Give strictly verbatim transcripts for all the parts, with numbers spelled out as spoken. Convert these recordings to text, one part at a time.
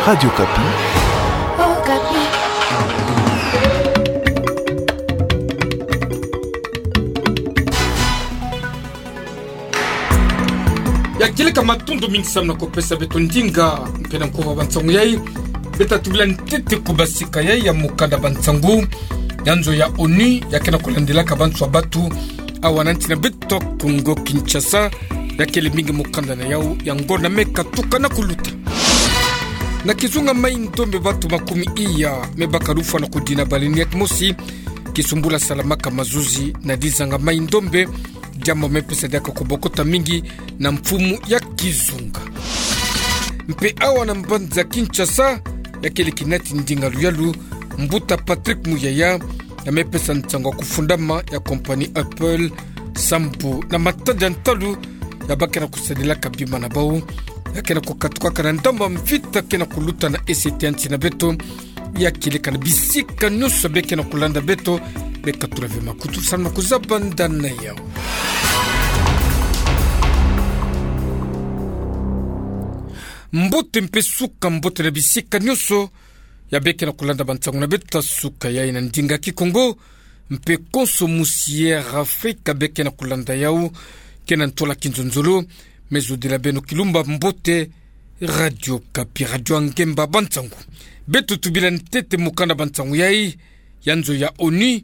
Radio Okapi. Okapi. Ya kieleka matondo mingi samu na kupesa beto ndinga, mpe na nkuwa bansangu yai. Beta tubila ntete ku basika yai ya mukanda bansangu. Ya nzo ya ONU, ya ke na kulandelaka banswa batu awa na nsi na beto Kongo Kinshasa, ya kele mingi mukanda na yau, ya ngonda me katuka na kuluta. Na kizunga Mai-Ndombe batu makumi iya me baka lufwa na kudina baleine ya kimosi, kisumbula salamaka mazuzi na dizanga Mai-Ndombe, diambu me pesa diaka kubokota mingi na mfumu ya kizunga. Mpe awa na mbanza Kinshasa, ya kele kinati ndinga luyalu, mbuta Patrick Muyaya, ya me pesa nsangu ya kufundama ya compagnie Apple, sambu na matadi ya ntalu, ya ba ke na kusadilaka bima na bau, ya ke na kukatukaka na ndambu ya mvita ke na kuluta na ese ya nsi na beto. Ya kieleka na bisika nyonso beke na kulanda beto, beka tula ve makutu samu na kuzaba nda na yau. Mbote mpe suka mbote na bisika nyonso ya beke na kulanda bansangu na beto suka yai na ndinga Kikongo, mpe konso musi Air Afrika beke na kulanda yau, ke na ntola kinzonzolo, me zodila beno kilumba mbote. Radio Okapi, radio ya ngemba bansangu. Beto tubila ntete mukanda bansangu yai, ya nzo ya ONU,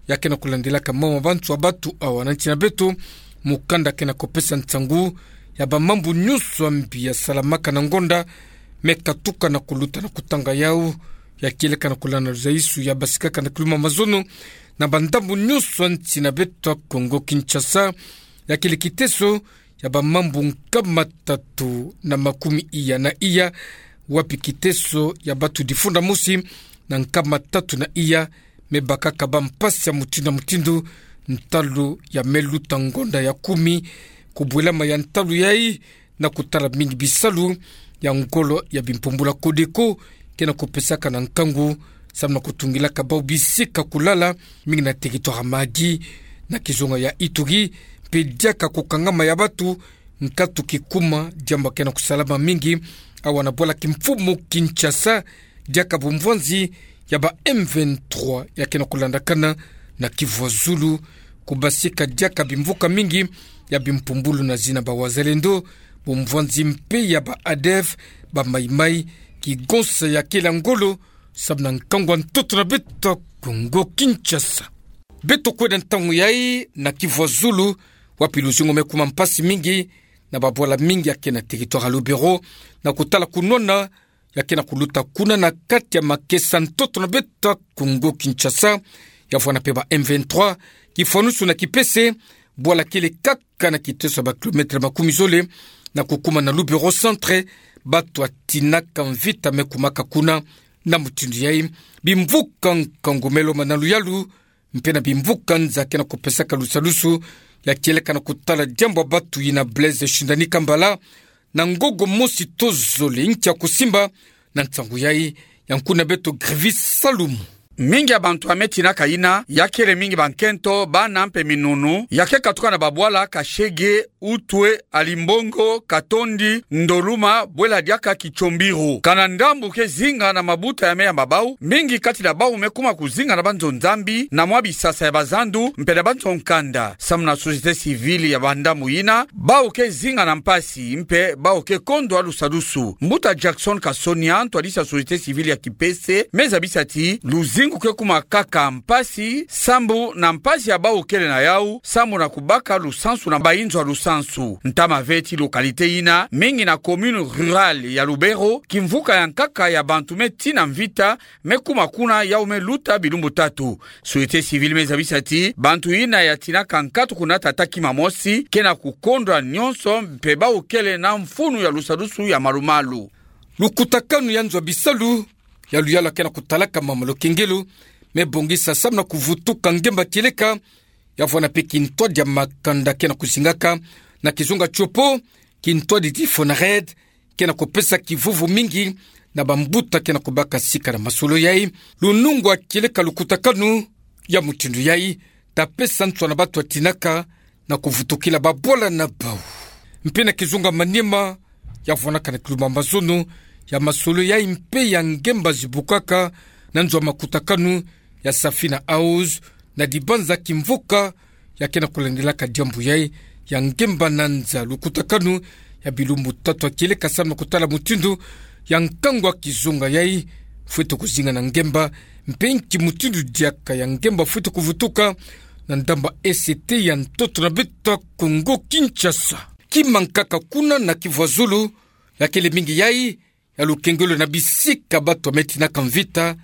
ya ke na kulandelaka mawu ma banswa batu awa na nsi na beto, mukanda ke na kupesa nsangu ya bamambu nyonso ya mbi ya salamaka na ngonda me katuka na kuluta na kutanga yau, ya kieleka na kulanda luzaisu ya basikaka na kiluma mazono na bandambu nyonso ya nsi na beto Kongo Kinshasa, ya kele kiteso ya bamambu nkama tatu na makumi iya na iya, wapi kiteso ya batu difunda mosi na nkama tatu na iya me bakaka bambi mpasi ya mutindu na mutindu, ntalu ya me luta ngonda ya kumi, kubwelama ya ntalu yai, na kutala mingi bisalu ya ngolo ya bimpumbulu ya Codeco, ke na kupesaka na nkangu, samu na kutungilaka bau bisika kulala, mingi na territoire ya Mahagi, na kizunga ya Ituri, mpe diaka kukangama ya batu, nkatu kikuma, diambu ke na kusalama mingi awa na bwala kimfumu Kinshasa, diaka bumvwanzi ya ba M vingt-trois ya ke na kulandakana na Kivu ya Zulu, ku basika diaka bimvuka mingi ya bimpumbulu na zina ba Wazalendo, bumvwanzi mpe ya ba ADF, ba Mai-Mai, kigonsa ya kele ngolo, samu na nkangu ya ntoto na beto Kongo Kinshasa. Beto kwenda ntangu yai na Kivu ya Zulu, wapi luzingu me kuma mpasi mingi na babwala mingi ya ke na territoire ya Lubero, na kutala kunwana ya ke na kuluta kuna na kati ya makesa ntoto na beto Kongo Kinshasa, ya vwanda mpe ba M vingt-trois, kifwanusu na Kipese, bwala kele kaka na kiteso ya ba kilomètre makumi zole na kukuma na Lubero centre, batu ya tinaka mvita me kumaka kuna. Na mutindu yai, bimvuka nkangu me lomba na luyalu, mpe na bimvuka nza ke na kupesaka lusadusu, ya kieleka na kutala diambu ya batu yina Blaise Shindani Kambala, na ngogo mosi to zole nkia kusimba. Na nsangu yai, ya nkuna beto Grivis Salumu. Mingi ya bantu ya me tinaka yina, ya kele mingi bankento, bana mpe minunu, ya ke katuka na babwala Kashege, Utwe, Alimbongo, Katondi, Ndoluma, bwela diaka Kitshombiro. Kana ndambu ke zinga na mabuta ya me yamba bau, mingi kati na bau me kuma kuzinga na banzo Nzambi, na mwa bisasa ya bazandu, mpe na banzo nkanda. Samu na société civile ya bandambu yina, bau ke zinga na mpasi, mpe bau ke kondwa lusadusu. Mbuta Jackson Kasonia, ntwadisi ya société civile ya Kipese, me zabisa ti luzingu ke kuma kaka mpasi, sambu na mpasi ya bau kele na yau, sambu na kubaka lusansu na bayinzo ya lusansu. Ntama ve ti localité yina, mingi na commune rurale ya Lubero, kimvuka ya nkaka ya bantu me tina mvita, me kuma kuna yau me luta bilumbu tatu. Société civile me zabisa ti bantu yina ya tinaka nkatu kuna tata kima mosi, ke na kukondwa nyonso, mpe bau kele na mfunu ya lusadusu ya malumalu. Lukutakanu ya nzo ya bisalu, ya luyalu ya ke na kutalaka mama Lokengelo, me bongisa samu na kuvutuka ngemba kieleka, ya vwanda mpe kintwadi ya makanda ke na kuzingaka na kizunga Tshopo, kintwadi ti Fonarède, ke na kupesa kivuvu mingi na bambuta ke na kubaka sika na masolo yai. Lunungu ya kieleka lukutakanu ya mutindu yai, ta pesa nswa na batu ya tinaka na kuvutukila babwala na bau. Mpe na kizunga Maniema, ya vwandaka na kiluma mazono, ya masolo yai mpe ya ngemba zibukaka na nzo ya makutakanu ya Safina House, na dibanza kimvuka ya ke na kulandelaka diambu yai ya ngemba na nza lukutakanu ya bilumbu tatu ya kieleka samu na kutala mutindu ya nkangu ya kizunga yai fwete kuzinga na ngemba, mpe nki mutindu diaka ya ngemba fwete kuvutuka na ndamba E C T ya ntoto na beto ya Kongo Kinshasa. Kima nkaka kuna na Kivu ya Zulu, ya kele mingi yai ya lukengelo na bisika batu ya me tinaka mvita,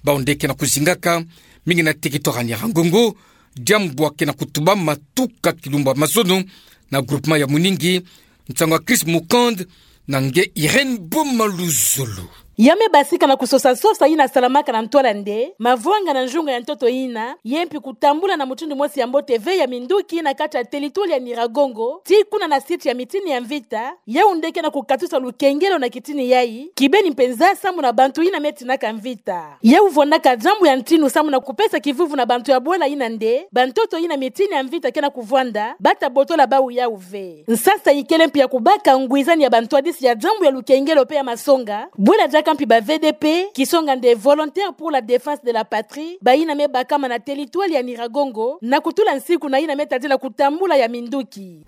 bawu nde ke na kuzingaka, mingi na territoire ya Nyiragongo, diambu ya ke na kutubama tuka kilumbu ya mazono na groupement ya Muningi, nsangu ya Chris Mukand, na nge Irène Boma Luzolo. Ya me basika na kusosa-sosa yina salamaka na ntwala nde, mavwanga na nzunga ya ntoto yina, ye mpi kutambula na mutindu mosi ya mbote ve ya minduki na kati ya territoire ya Nyiragongo, tii kuna na site ya mitini ya mvita, yau nde ke na kukatusa lukengelo na kitini yai, kibeni mpenza samu na bantu yina me tinaka mvita. Yau vwandaka diambu ya ntinu samu na kupesa kivuvu na bantu ya bwala yina nde, bantoto yina mitini ya mvita ke na kuvwanda, bata botola bawu yau ve. Nsasa ikele mpi ya kubaka ngwizani ya bantwadisi ya diambu ya lukengelo mpe ya masonga, bwela diaka mpi ba V D P, kisonga nde Volontaires pour la Défense de la Patrie, bayina me bakama na territoire ya Nyiragongo, na kutula nsiku na yina me tadila kutambula ya minduki.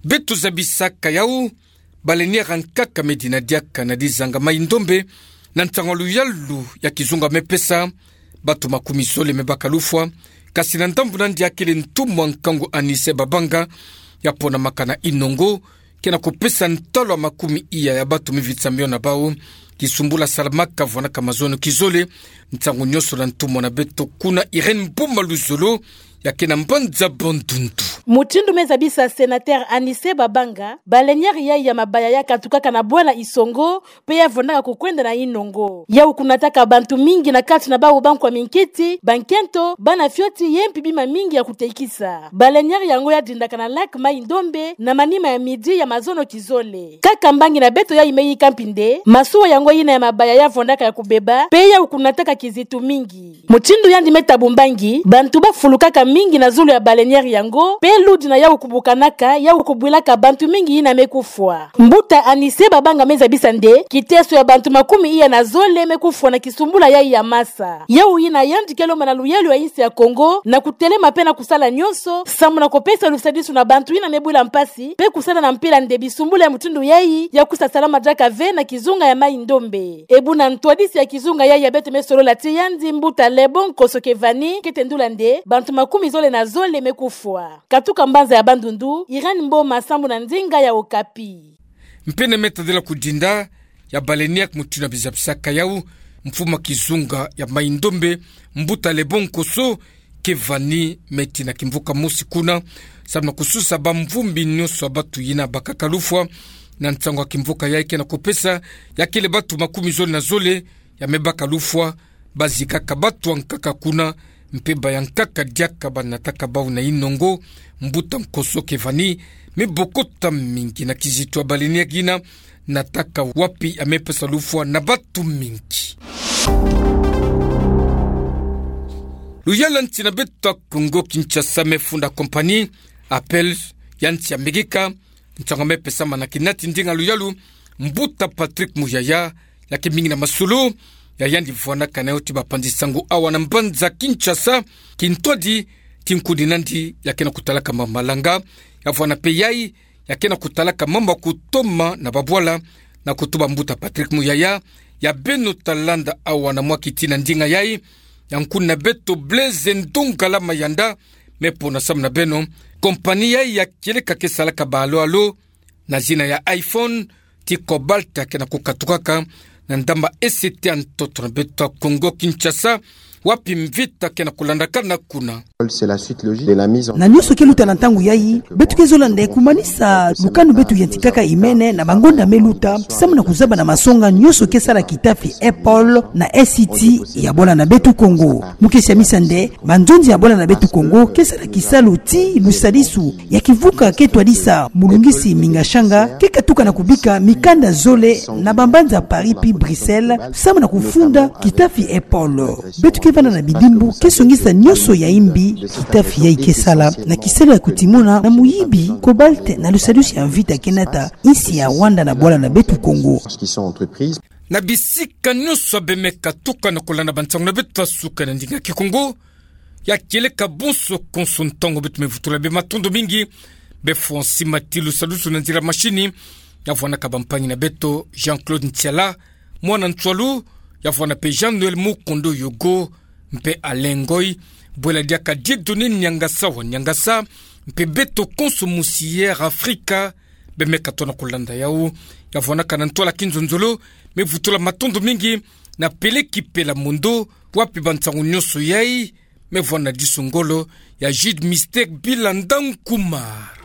Beto zabisaka yau, baleinière ya nkaka me dina diaka na dizanga Mai-Ndombe, na ntangu ya luyalu ya kizunga me pesa, batu makumi zole me baka lufwa, kasi na ndambu na yandi ya kele ntumwa nkangu Anise Babanga, ya ponamaka na Inongo, ke na kupesa ntalu ya makumi iya ya batu me vitisa mio na bawu, kisumbula salamaka vwanaka mazono kizole, ntangu nionso na ntumwa na beto kuna Irène Boma Luzolo, ya ke na mbanza Bandundu. Mutindu me zabisa sénateur Anise Babanga, baleinière yai ya mabaya ya katukaka na bwala Isongo, mpe ya vwandaka kukwenda na Inongo. Yau kunataka bantu mingi na kati na bawu bankwa minkiti, bankento, bana fioti, ye mpi bima mingi ya kutekisa. Baleinière yango ya dindaka na lac Mai-Ndombe, na manima ya midi ya mazono kizole. Kaka mbangi na beto yai me yika mpi nde, masuwa yango yina ya mabaya ya vwandaka ya kubeba, mpe yau kunataka kizitu mingi. Mutindu yandi me tabu mbangi, bantu bafulukaka mingi na zulu ya baleinière yango, mpe ludi na yau kubukanaka, yau kubwilaka bantu mingi yina me kufwa. Mbuta Anise Babanga me zabisa nde, kiteso ya bantu makumi iya na zole me kufwa na kisumbula yai ya masa. Yau yina yandi ke lomba na luyalu ya insi ya Kongo, na kutelema mpe na kusala nionso, samu na kupesa lusadisu na bantu yina me bwila mpasi, mpe kusala na mpila nde bisumbula ya mutindu yai, ya kusa salama diaka ve na kizunga ya Mai-Ndombe. E buna ntwadisi ya kizunga yai ya beto me solola tii yandi, mbuta Lebon Koso Kevani, ke tendula nde, bantu makumi zole na zole me kufwa. Katuka mbanza ya Bandundu, Irène Mboma, samu na ndinga ya Okapi. Mpene me tadila kudinda ya baleinière mutindu ya bizabisaka yau, mfumu ya kizunga ya Mai-Ndombe, mbuta Lebon Koso Kevani, me tina kimvuka mosi kuna, samu na kususa bamvumbi nionso ya batu yina bakaka lufwa, na ntangu ya kimvuka yai ke na kupesa, ya kele batu makumi zole na zole, ya me baka lufwa, bazikaka batu ya nkaka kuna, mpe baya nkaka diaka banataka bawu na Inongo, mbuta Koso Kevani, me bokota mingi na kizitu ya baleinière yina, nataka wapi ya me pesa lufwa na batu mingi. Luyalu ya nsi na beto ya Kongo Kinshasa me funda compagnie Apple ya nsi ya Amerika, ntangu me pesama na kinati ndinga luyalu, mbuta Patrick Muyaya, ya ke mingi na masolo ya yandi vwanaka na yo ti bapanzi sango awa na mbanza Kinshasa, kintwadi ti nkuni nandi ya ke na kutalaka ma malanga, ya vwana mpe yai ya ke na kutalaka mambu ya kutoma na babwala, na kutuba mbuta Patrick Muyaya, ya beno ta landa awa na mwa kiti na ndinga yai, ya nkuni na beto Blaise Ndongala Mayanda, me pona samu na beno, compagnie yai ya kieleka ke salaka ba alo-alo, na zina ya iPhone, ti Cobalt ke na kukatukaka na ndamba E C T ya ntoto na beto ya Kongo Kinshasa, wapi mvita ke na kulandakana kuna. C'est la suite logique de la mise en... Na nionso ke luta na ntangu yai, beto ke zola nde kumanisa lukanu beto yantikaka imene na bangonda me luta, samu na kuzaba na masonga nionso ke sala kitafi Apple na E C T ya bwala na beto Kongo. Mu ke siamisa nde, banzonzi ya bwala na beto Kongo ke sala kisalu ti lusadisu ya kivuka ke twadisa mulungisi mingashanga, ke katuka na kubika mikanda zole na bambanza Paris pi Bruxelles, samu na kufunda kitafi Apple. Beto Kevana na bidimbu ke songisa nionso ya imbi kitafi yayi ke sala na kisalu ya kutimona na muyibi cobalt na lusadusi ya mvita ke nata insi ya Rwanda na bwala na beto Kongo. Na bisika nionso abe me katuka na kolanda bansangu na beto ya suka na ndinga Kikongo, ya kieleka bonso konso ntangu beto me vutula bie matondo mingi. Be Francis Matilu salusu na nzila mashini, ya vwanaka bampangi na beto Jean-Claude Ntiala, mwana Ntsoilu, ya vwana mpe Jean-Noël Mukondo Yogo, mpe Alain Ngoy, bwela diaka Dieudonné Niangasa wa Niangasa, mpe beto konso musi Air Afrika, be me katoa na kolanda yawu, ya vwanaka na ntwala kinzonzolo, me vutula matondo mingi na Peleki Pela Mondo, wapi bansangu nionso yayi me vwana diso ngolo, ya Jude Mystère Bila Ndankumar.